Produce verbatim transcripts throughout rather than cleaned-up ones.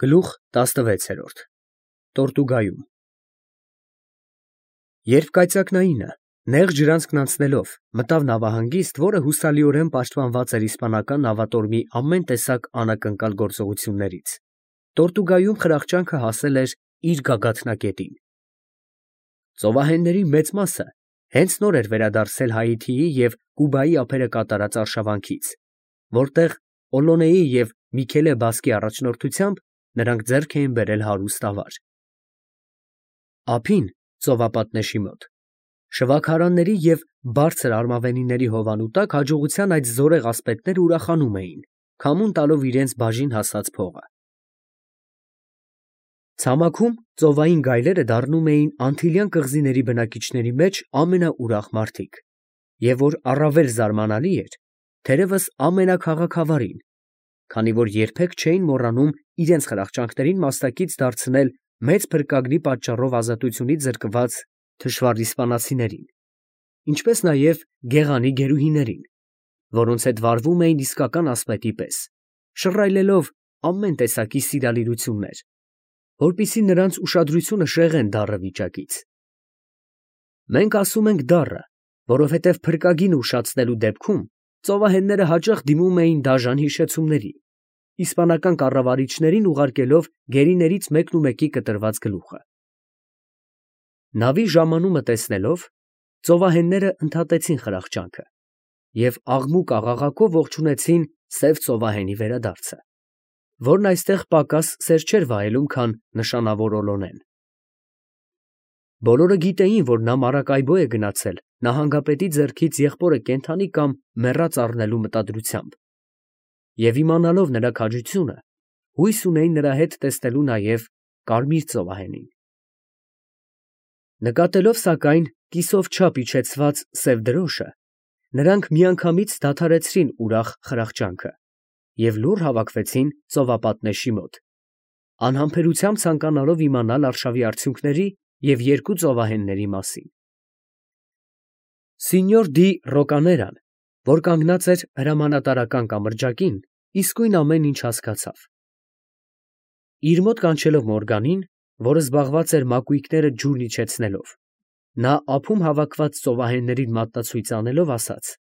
Գլուխ տասնվեցերորդ Տորտուգայում Երբ կայծակնայինը, նեղ ջրանցքն անցնելով, մտավ նավահանգիստ, որը հուսալիորեն պաշտպանված էր իսպանական նավատորմի ամեն տեսակ անակնկալ գործողություններից, Տորտուգայում խրախճանքը հասել էր իր գագաթնակետին։ Ծովահենների մեծ մասը հենց նոր էր վերադարձել Հայիթիի և Կուբայի ափերը կատարած արշավանքից, որտեղ Օլոնեի և Միքելե Բասկի առաջնորդությամբ նրանք ձեռք էին բերել հարուստ ավար։ Ափին, ծովապատնեշի մոտ, շվաքարանների և բարձր արմավենիների հովանու տակ հաջողության այդ զորեղ ասպետները ուրախանում էին, քամուն տալով իրենց բաժին հասած փողը։ Ցամաքում ծովային գայլերը դառնում էին Անտիլյան կղզիների բնակիչների մեջ ամենաուրախ մարդիկ, և որ առավել զարմանալի էր, թերևս ամենաքաղաքավարին, քանի որ երբեք չէին մոռանում իրենց խրախճանքներին մասնակից դարձնել մեծ փրկագնի պատճառով ազատությունից զրկված թշվառ իսպանացիներին, ինչպես նաև գեղանի գերուհիներին, որոնց հետ վարվում էին իսկական ասպետի պես, շռայլելով ամեն տեսակի սիրալիրություններ, որպեսզի նրանց ուշադրությունը շեղեն դառը վիճակից։ Մենք ասում ենք դառը, որովհետև փրկագինը ուշացնելու դեպքում ծովահենները հաճախ դիմում էին դաժան հիշեցումների, իսպանական կառավարիչներին ուղարկելով գերիներից մեկնումեկի կտրված գլուխը։ Նավի ժամանումը տեսնելով, ծովահենները ընդհատեցին խրախճանքը և աղմուկ֊աղաղակով ողջունեցին սև ծովահենի վերադարձը, որն այստեղ պակաս սեր չէր վայելում, քան նշանավոր Օլոնեն։ Բոլորը գիտեին, որ նա Մարակայբո է գնացել նահանգապետի ձեռքից եղբորը կենդանի կամ մեռած առնելու մտադրությամբ, և իմանալով նրա քաջությունը, հույս ունեին նրա հետ տեսնելու նաև կարմիր ծովահենին։ Նկատելով, սակայն, կիսով չափ իջեցված սև դրոշը, նրանք միանգամից դադարեցրին ուրախ խրախճանքը և լուռ հավաքվեցին ծովապատնեշի մոտ, անհամբերությամբ ցանկանալով իմանալ արշավի արդյունքների և երկու ծովահենների մասին։ Սինյոր դի Ռոկաներան, որ կանգնած էր հրամանատարական կամրջակին, իսկույն ամեն ինչ հասկացավ։ Իր մոտ կանչելով Մորգանին, որը զբաղված էր մակույկները ջուրն իջեցնելով, նա ափում հավաքված ծովահեններին մատնացույց անելով, ասաց.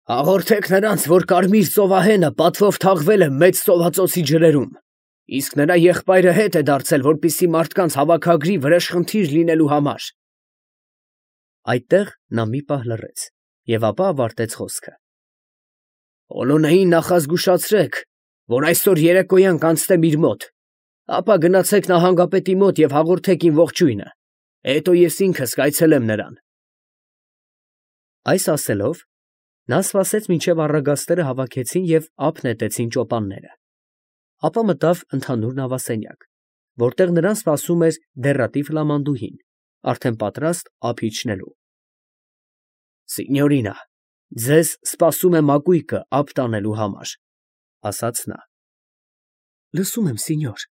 «Հաղորդեք նրանց, որ կարմիր ծովահենը պատվով թաղվել է մեծ ծովածոցի ջրերում, իսկ նրա եղբայրը հետ է դարձել, որպեսզի մարդկանց հավաքագրի վրեժխնդիր լինելու համար»։ Այդտեղ նա մի պահ լռեց և ապա ավարտեց խոսքը. «Օլոնեին նախազգուշացրեք, որ այսօր երեկոյան կանցնեմ իր մոտ, ապա գնացեք նահանգապետի մոտ և հաղորդեք իմ ողջույնը, հետո ես ինքս կայցելեմ նրան»։ Այս ասելով, նա սպասեց, մինչև առագաստերը հավաքեցին և ափ նետեցին ճոպանները, ապա մտավ ընդհանուր նավասենյակ, որտեղ նրան սպասում էր դեռատիվ հլամանդուհին, արդեն պատրաստ ափ իջնելու։ «Սինյորինա, ձեզ սպասում է մակույկը ափ տանելու համար», ֊ ասաց նա։ ֊ Լսում եմ, սինյոր,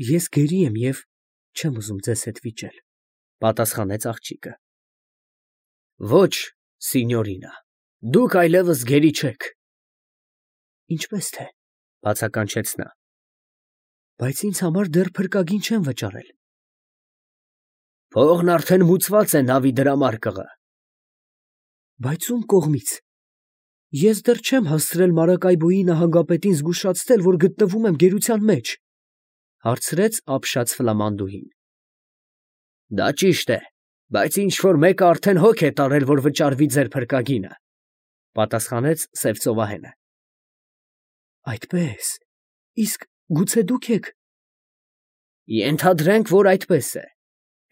ես գերի եմ և չեմ ուզում ձեզ հետ վիճել, ֊ պատասխանեց աղջիկը։ ֊ Ոչ, սինյորինա, դուք այլևս գերի չեք։ ֊ Ինչպես թե, ֊ բացականչեց նա, ֊ բայց ինձ համար դեռ փրկագին չեմ վճարել։ ֊ Փողն արդեն մուծված է նավի դրամարկղը։ ֊ Բայց ո՞ւմ կողմից։ Ես դեռ չեմ հասցրել Մարակայբոյի նահանգապետին զգուշացնել, որ գտնվում եմ գերության մեջ, ֊ հարցրեց ապշած ֆլամանդուհին։ ֊ Դա ճիշտ է, բայց ինչ֊որ մեկը արդեն հոգ է տարել, որ վճարվի ձեր փրկագինը, ֊ պատասխանեց սև ծովահենը։ ֊ Այդպե՞ս, իսկ գուցե դուք եք։ ֊ Ենթադրենք, որ այդպես է,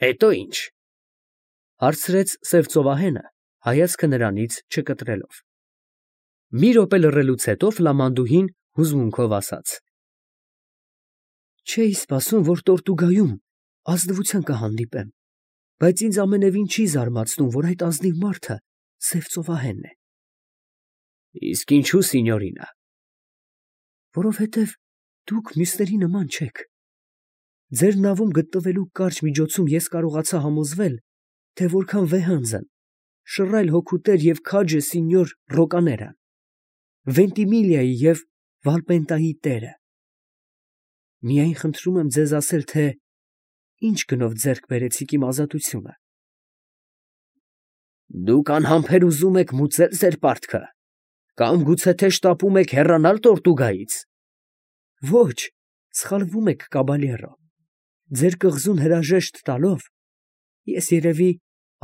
հետո ի՞նչ, ֊ հարցրեց սև ծովահենը, հայացքը նրանից չկտրելով։ Մի րոպե լռելուց հետո ֆլամանդուհին հուզմունքով ասաց. «Չէի սպասում, որ Տորտուգայում ազնվության կհանդիպեմ, բայց ինձ ամենևին չի զարմացնում, որ այդ ազնիվ մարդը սև ծովահենն է։ ֊ Իսկ ինչո՞ւ, սինյորինա։ ֊ Որովհետև դուք մյուսների նման չեք։ Ձեր նավում գտնվելու կարճ միջոցում ես կարողացա համոզվել, թե որքան վեհանձն, շռայլ հոգուտեր և քաջ է սինյոր Ռոկաներան, Վենտիմիլիայի և Վալպենտայի տերը։ Միայն խնդրում եմ ձեզ ասել, թե ինչ գնով ձեռք բերեցիք իմ ազատությունը։ Դուք անհամբեր ուզում եք մուծել ձեր պարտքը, կամ գուցե թե շտապում եք հեռանալ Տորտուգայից։ Ոչ, սխալվում եք, կաբալյերո։ Ձեր կղզուն հրաժեշտ տալով, ես երևի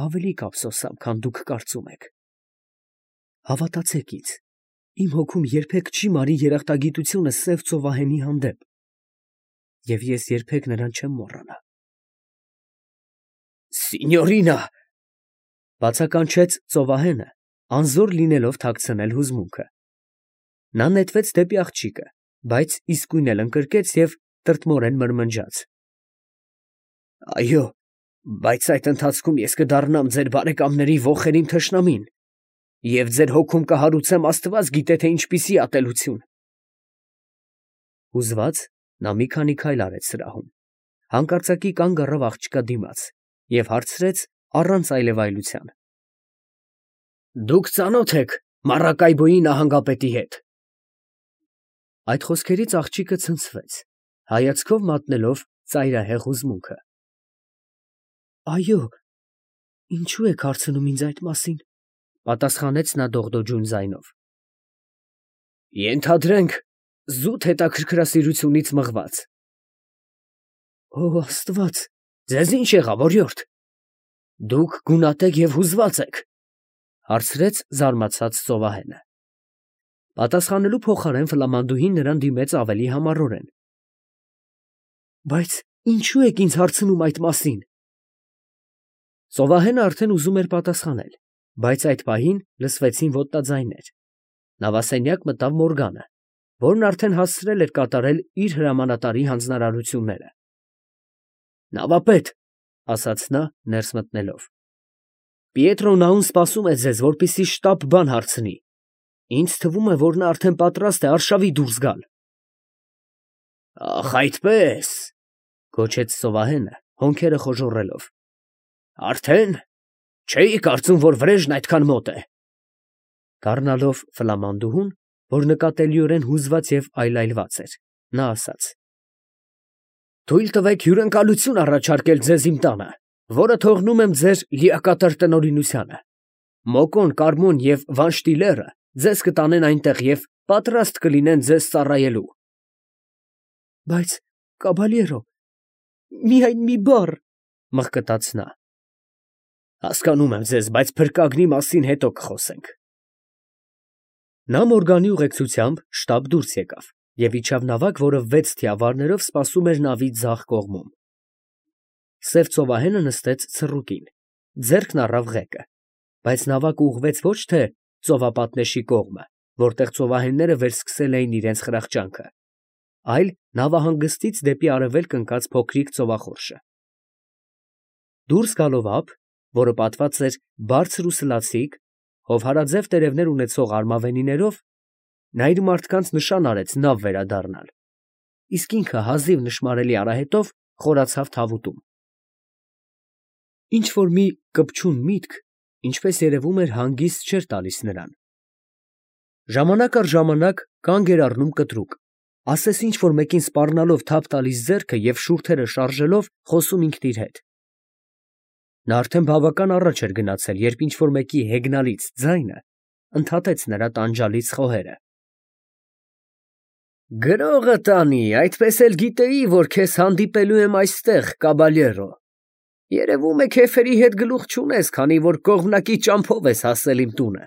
ավելի կափսոսամ, քան դուք կարծում եք։ Հավատացեք ինձ, իմ հոգում երբեք չի մարի երախտագիտությունը սև ծովահենի հանդեպ, և ես երբեք նրան չեմ մոռանա։ Սինյորինա, բացականչեց ծովահենը, անզոր լինելով թաքցնել հուզմունքը։ Նա նետվեց դեպի աղջիկը, բայց իսկույն էլ ընկրկեց և տրտմորեն մրմնջաց. Այո, բայց այդ ընթացքում ես կդառնամ ձեր բարեկամների ոխերիմ թշնամին, և ձեր հոգում կհարուցեմ աստված գիտե թե ինչպիսի ատելություն։ Հուզված նա մի քանի քայլ արեց սրահում, հանկարծակի կանգ առավ աղջկա դիմաց և հարցրեց առանց այլևայլության. Դուք ծանո՞թ եք Մարակայբոյի նահանգապետի հետ։ Այդ խոսքերից աղջիկը ցնցվեց, հայացքով մատնելով ծայրահեղ հուզմունքը։ Այո, ինչու եք հարցնում ինձ այդ մասին, պատասխանեց նա դողդոջուն ձայնով։ Ենթադրենք զուտ հետաքրքրասիրությունից մղված։ Ո Աստված, ձեզ ինչ եղավ, օրիորդ։ Դուք գունատեք և հուզված եք, հարցրեց զարմացած ծովահենը։ Պատասխանելու փոխարեն ֆլամանդուհին նրան դիմեց ավելի համառորեն։ Բայց ինչու եք ինձ հարցնում այդ մասին։ Ծովահենը արդեն ուզում էր պատասխանել, բայց այդ պահին լսվեցին ոտնաձայներ։ Նավասենյակ մտավ Մորգանը, որն արդեն հասցրել էր կատարել իր հրամանատարի հանձնարարությունները։ Նավապետ, ասաց նա, ներս մտնելով, Պիետրո Նաուն սպասում է ձեզ, որպեսզի շտապ բան հարցնի։ Ինձ թվում է, որ նա արդեն պատրաստ է արշավի դուրս գալ։ Ախ, այդպես, գոչեց ծովահենը, հոնքերը խոժոռելով։ Արդեն, չէի կարծում, որ վրեժն այդքան մոտ է։ Դառնալով ֆլամանդուհուն, որ նկատելիորեն հուզված և այլայլված էր, նա ասաց. Թույլ տվեք հյուրընկալություն առաջարկել ձեզ իմ տանը, որը թողնում եմ ձեր լիակատար տնօրինությանը։ Մոկոն, Կարմոն և Վանշտիլերը ձեզ կտանեն այնտեղ և պատրաստ կլինեն ձեզ ծառայելու։ Բայց, կաբալյերո, միայն մի բառ, մղկտաց նա։ Հասկանում եմ ձեզ, բայց փրկագնի մասին հետո կխոսենք։ Նա Մորգանի ուղեկցությամբ շտապ դուրս եկավ և իջավ նավակ, որը վեց թիավարներով սպասում էր նավի ձախ կողմում։ Սև ծովահենը նստեց ցռուկին, ձեռքն առավ ղեկը, բայց նավակը ուղղվեց ոչ թե ծովապատնեշի կողմը, որտեղ ծովահենները վերսկսել էին իրենց խրախճանքը, այլ նավահանգստից դեպի արևելք ընկած փոքրիկ ծովախորշը։ Դուրս գալով ափ, որը պատված էր բարձր ու սլացիկ, հովհարաձև տերևներ ունեցող արմավենիներով, նա իր մարդկանց նշան արեց նավ վերադառնալ, իսկ ինքը հազիվ նշմարելի արահետով խորացավ թավուտում։ Ինչ֊որ մի կպչուն միտք, ինչպես երևում էր, հանգիստ չէր տալիս նրան։ Ժամանակ առ ժամանակ կանգ էր առնում կտրուկ, ասես ինչ֊որ մեկին սպառնալով թափ տալիս ձեռքը և շուրթերը շարժելով խոսում ինքն իր հետ։ Նա արդեն բավական առաջ էր գնացել, երբ ինչ֊որ մեկի հեգնալից ձայնը ընդհատեց նրա տանջալից խոհերը։ Գրողը տանի, այդպես էլ գիտեի, որ քեզ հանդիպելու եմ այստեղ, կաբալյերո։ Երևում է քեֆերի հետ գլուխ չունես, քանի որ կողմնակի ճամփով ես հասել իմ տունը։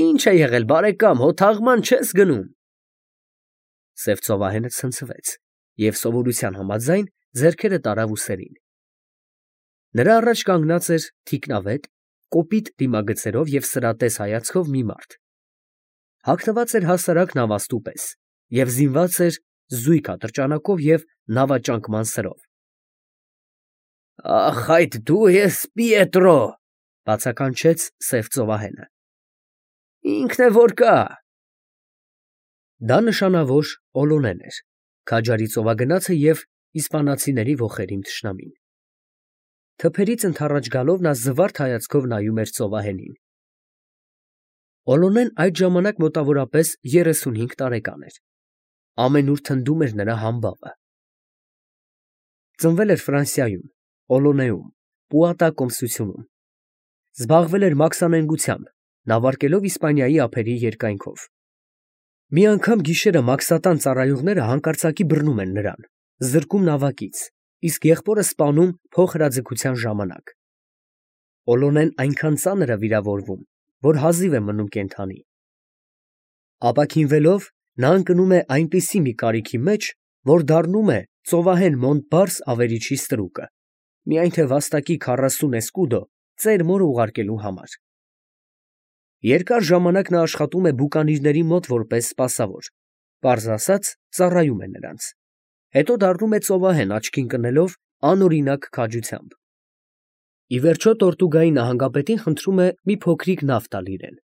Ինչ է եղել, բարեկամ, հո թաղման չես գնում։ Սև ծովահենը ցնցվեց և սովորության համաձայն ձեռքերը տարավ ուսերին։ Նրա առաջ կանգնած էր թիկնավետ, կոպիտ դիմագծերով և սրատես հայացքով մի մարդ։ Հագնված էր հասարակ նավաստու պես և զինված էր զույգ ատրճանակով և նավաճանկման սրով։ Ախ, այդ դու ես, Պիետրո, բացականչեց սև ծովահենը։ Ինքն է որ կա։ Դա նշանավոր Օլոնեն էր, քաջարի ծովագնացը և իսպանացիների ոխերիմ թշնամին։ Թփերից ընդառաջ գալով նա զվարթ հայացքով նայում էր ծովահենին։ Օլոնեն այդ ժամանակ մոտավորապես երեսունհինգ տարեկան էր։ Ամենուր թնդում էր նրա համբավը, Ծնվել էր Ֆրանսիայում, Օլոնեում, Պուատա կոմսությունում։ Զբաղվել էր մաքսանենգությամբ, նավարկելով Իսպանիայի ափերի երկայնքով։ Մի անգամ գիշերը մաքսատան ծառայողները հանկարծակի բռնում են նրան, զրկում նավակից, իսկ եղբորը սպանում փոխհրաձգության ժամանակ։ Օլոնեն այնքան ծանր է վիրավորվում, որ հազիվ է մնում կենդանի։ Ապաքինվելով, նա ընկնում է այնպիսի մի կարիքի մեջ, որ դառնում է ծովահեն Մոնտպարս ավերիչի ստրուկը, միայն թե վաստակի քառասուն էսկուդո ծեր մորը ուղարկելու համար։ Երկար ժամանակ նա աշխատում է բուկանիրների մոտ որպես սպասավոր, պարզ ասած, ծառայում է նրանց, հետո դառնում է ծովահեն աչքին կնելով անօրինակ քաջությամբ։ Ի վերջո Տորտուգայի նահանգապետին խնդրում է մի փոքրիկ նավ տալ իրեն։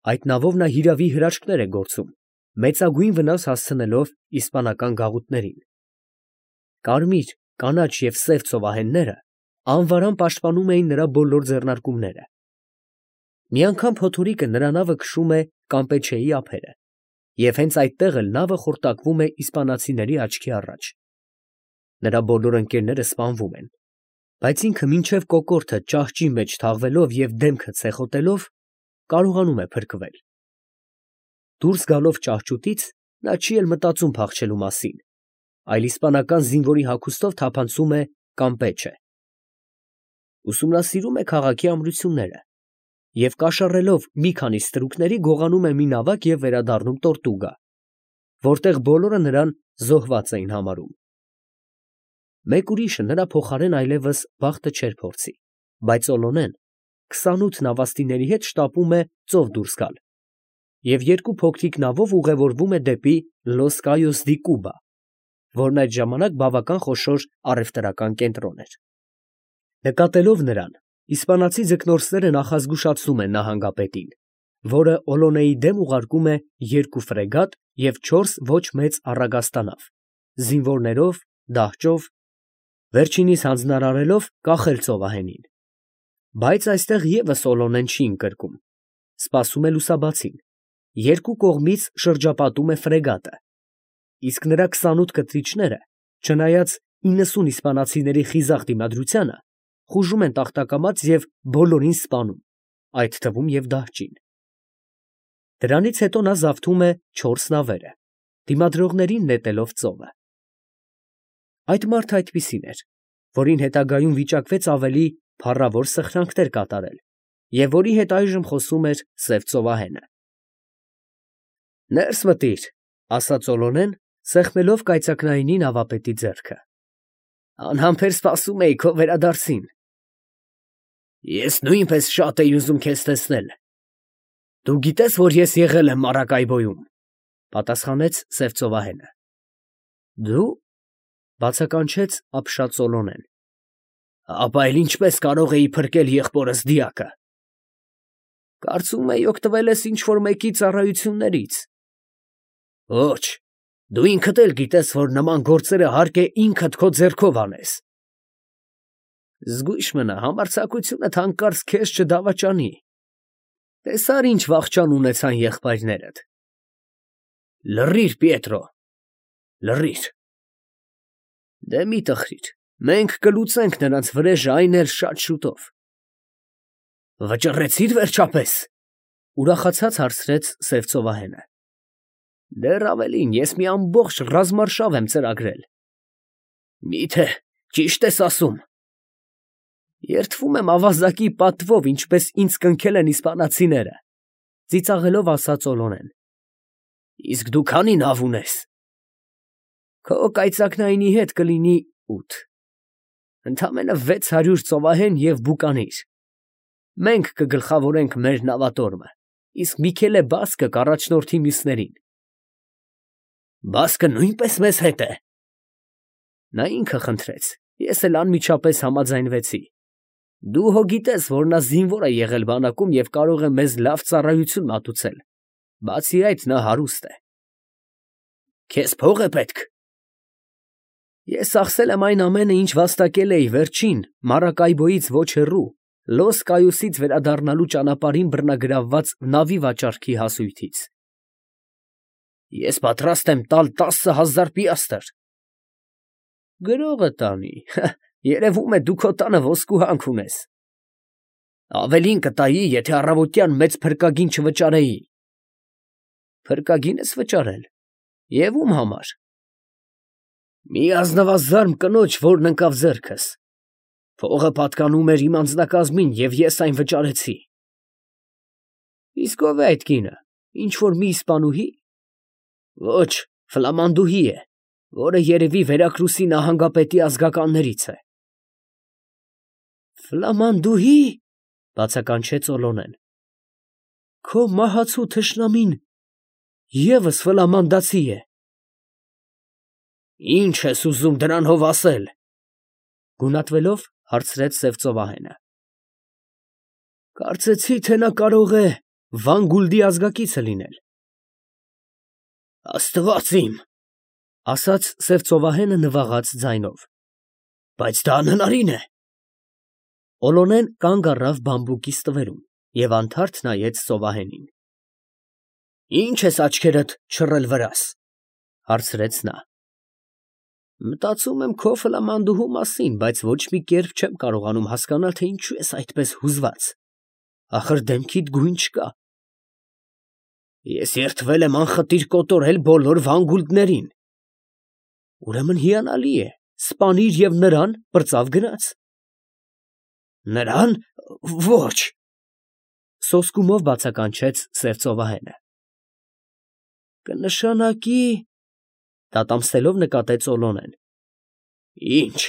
Այդ նավով նա հիրավի հրաշքներ է գործում, մեծագույն վնաս հասցնելով իսպանական գաղութներին։ Կարմիր, կանաչ և սև ծովահենները անվարան պաշտպանում էին նրա բոլոր ձեռնարկումները։ Մի անգամ փոթորիկը նրա նավը քշում է Կամպեչեի ափերը, և հենց այդտեղ էլ նավը խորտակվում է իսպանացիների աչքի առաջ։ Նրա բոլոր ընկերները սպանվում են, բայց ինքը մինչև կոկորդը ճահճի մեջ թաղվելով և դեմքը ցեխոտելով, կարողանում է փրկվել։ Դուրս գալով ճահճուտից, նա չի էլ մտածում փախչելու մասին, այլ իսպանական զինվորի հագուստով թափանցում է Կամպեչե։ Ուսումնասիրում է քաղաքի ամրությունները և կաշառելով մի քանի ստրուկների գողանում է մի նավակ և վերադառնում Տորտուգա, որտեղ բոլորը նրան զոհված էին համարում։ Մեկ ուրիշը նրա փոխարեն այլևս բախտը չէր փորձի, բայց Օլոնեն քսանութ նավաստիների հետ շտապում է ծով դուրս գալ և երկու փոքրիկ նավով ուղևորվում է դեպի Լոս Կայոս դի Կուբա, որն այդ ժամանակ բավական խոշոր առևտրական կենտրոն էր։ Նկատելով նրան, իսպանացի ձկնորսները նախազգուշացնում են նահանգապետին, որը Օլոնեի դեմ ուղարկում է երկու ֆրեգատ և չորս ոչ մեծ առագաստանավ, զինվորներով, դահճով, վերջինիս հանձնարարելով կախել ծովահենին։ Բայց այստեղ ևս Օլոնեն չի ընկրկում, սպասում է լուսաբացին, երկու կողմից շրջապատում է ֆրեգատը, իսկ նրա քսանութ կտրիչները, չնայած իննսուն իսպանացիների խիզախ դիմադրությանը, խուժում են տախտակամած և բոլորին սպանում, այդ թվում և դահճին։ Դրանից հետո նա զավթում է չորս նավերը, դիմադրողներին նետելով ծովը։ Այդ մարդը այդպիսին էր, որին հետագայում վիճակվեց ավելի փառավոր սխրանքներ կատարել և որի հետ այժմ խոսում էր սև ծովահենը։ «Ներս մտիր», ֊ ասաց Օլոնեն, սեղմելով կայծակնայինի նավապետի ձեռքը։ «Անհամբեր սպասում էի քո վերադարձին»։ «Ես նույնպես շատ էի ուզում քեզ տեսնել։ Դու գիտես, որ ես եղել եմ Մարակայբոյում, ֊ պատասխանեց սև ծովահենը։ «Դու», ֊ բացականչեց ապշած Օլոնեն։ «Ապա էլ ինչպես կարող էի փրկել եղբորս դիակը»։ «Կարծում էի օգտվել ես ինչ֊որ մեկի ծառայություններից»։ «Ոչ, դու ինքդ էլ գիտես, որ նման գործերը հարկ է ինքդ քո ձեռքով անես»։ «Զգույշ մնա, համարձակությունդ հանկարծ քեզ չդավաճանի։ Տեսա՞ր ինչ վախճան ունեցան եղբայրներդ»։ «Լռիր, Պիետրո, լռիր»։ «Դե մի տխրիր, մենք կլուծենք նրանց վրեժը, այն էլ շատ շուտով»։ «Վճռեցի՞ր վերջապես», ֊ ուրախացած հարցրեց սև ծովահենը։ «Դեռ ավելին, ես մի ամբողջ ռազմարշավ եմ ծրագրել»։ «Մի՞թե ճիշտ ես ասում»։ «Երդվում եմ ավազակի պատվով, ինչպես ինձ կնքել են իսպանացիները», ֊ ծիծաղելով ասաց Օլոնեն։ «Իսկ դու քանի՞ նավ ունես»։ «Քո կայծակնայինի հետ կլինի ութ, ընդամենը վեց հարյուր ծովահեն և բուկանիր։ Մենք կգլխավորենք մեր նավատորմը, իսկ Միքելե Բասկը կառաջնորդի մյուսներին»։ «Բասկը նույնպես մեզ հետ է»։ «Նա ինքը խնդրեց, ես էլ անմիջապես համաձայնվեցի։ Դու հո գիտես, որ նա զինվոր է եղել բանակում և կարող է մեզ լավ ծառայություն մատուցել, բացի այդ, նա հարուստ է»։ «Քեզ փող է պետք»։ «Ես ծախսել եմ այն ամենը, ինչ վաստակել էի վերջին Մարակայբոյից ոչ հեռու Լոս Կայոսից վերադառնալու ճանապարհին բռնագրավված նավի վաճառքի հասույթից»։ «Ես պատրաստ եմ տալ տասը հազար պիաստր»։ Գրողը տանի, երևում է դու քո տանը ոսկու հանք ունես։ Ավելին կտայի, եթե առավոտյան մեծ փրկագին չվճարեի։ Փրկագին ես վճարել, և ում համար։ Մի ազնվազարմ կնոջ, որն ընկավ ձեռքս։ Փողը պատկանում էր իմ անձնակազմին, և ես այն վճարեցի։ Իսկ ո՞վ է այդ կինը, ինչ֊որ մի իսպանուհի։ Ոչ, ֆլամանդուհի է, որը երևի Վերակրուսի նահանգապետի ազգականներից է։ Ֆլամանդուհի, բացականչեց Օլոնեն։ Քո մահացու թշնամին ևս ֆլամանդացի է։ Ի՞նչ ես ուզում դրանով ասել, գունատվելով հարցրեց սև ծովահենը։ Կարծեցի, թե նա կարող է Վան Գուլդի ազգակիցը լինել։ Աստված իմ, ասաց սև ծովահենը նվաղած ձայնով, բայց դա անհնարին է։ Օլոնեն կանգ առավ բամբուկի ստվերում և անթարթ նայեց ծովահենին։ Ի՞նչ ես աչքերդ չռել վրաս, հարցրեց նա։ Մտածում եմ քո ֆլամանդուհու մասին, բայց ոչ մի կերպ չեմ կարողանում հասկանալ, թե ինչու ես այդպես հուզված, ախր դեմքիդ գույն չկա։ Ես երդվել եմ անխտիր կոտորել բոլոր Վան Գուլդներին։ Ուրեմն հիանալի է, սպանիր և նրան պրծավ գնաց։ Նրան, ոչ, սոսկումով բացականչեց սև ծովահենը։ Կնշանակի, դատամսելով նկատեց Օլոնեն։ Ինչ։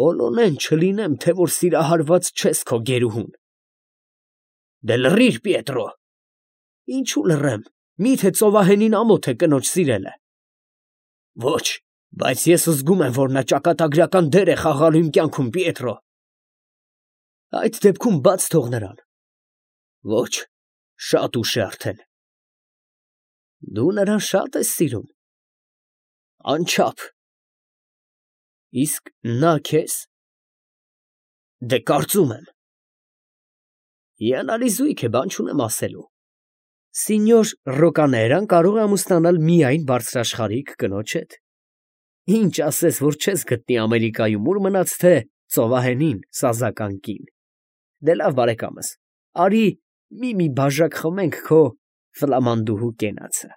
Օլոնեն չլինեմ, թե որ սիրահարված չես քո գերուհուն։ Դե լռիր, Պիետրո։ Ինչու լռեմ, միթե ծովահենին ամոթ է կնոջ սիրելը։ Ոչ, բայց ես զգում եմ, որ նա ճակատագրական դեր է խաղալու իմ կյանքում, Պիետրո։ Այդ դեպքում բաց թող նրան։ Ոչ, շատ ուշ է արդեն։ Դու նրան շատ ես սիրում։ Անչափ։ Իսկ նա քեզ։ Դե կարծում եմ։ Հիանալի զույգ է, բան չունեմ ասելու։ Սինյոր Ռոկաներան կարող է ամուսնանալ միայն բարձրաշխարհիկ կնոջ հետ։ Ինչ ասես, որ չես գտնի Ամերիկայում, ուր մնաց թե ծովահենին սազական կին։ Դե լավ, բարեկամս, արի մի֊մի բաժակ խմենք քո ֆլամանդուհու կենացը։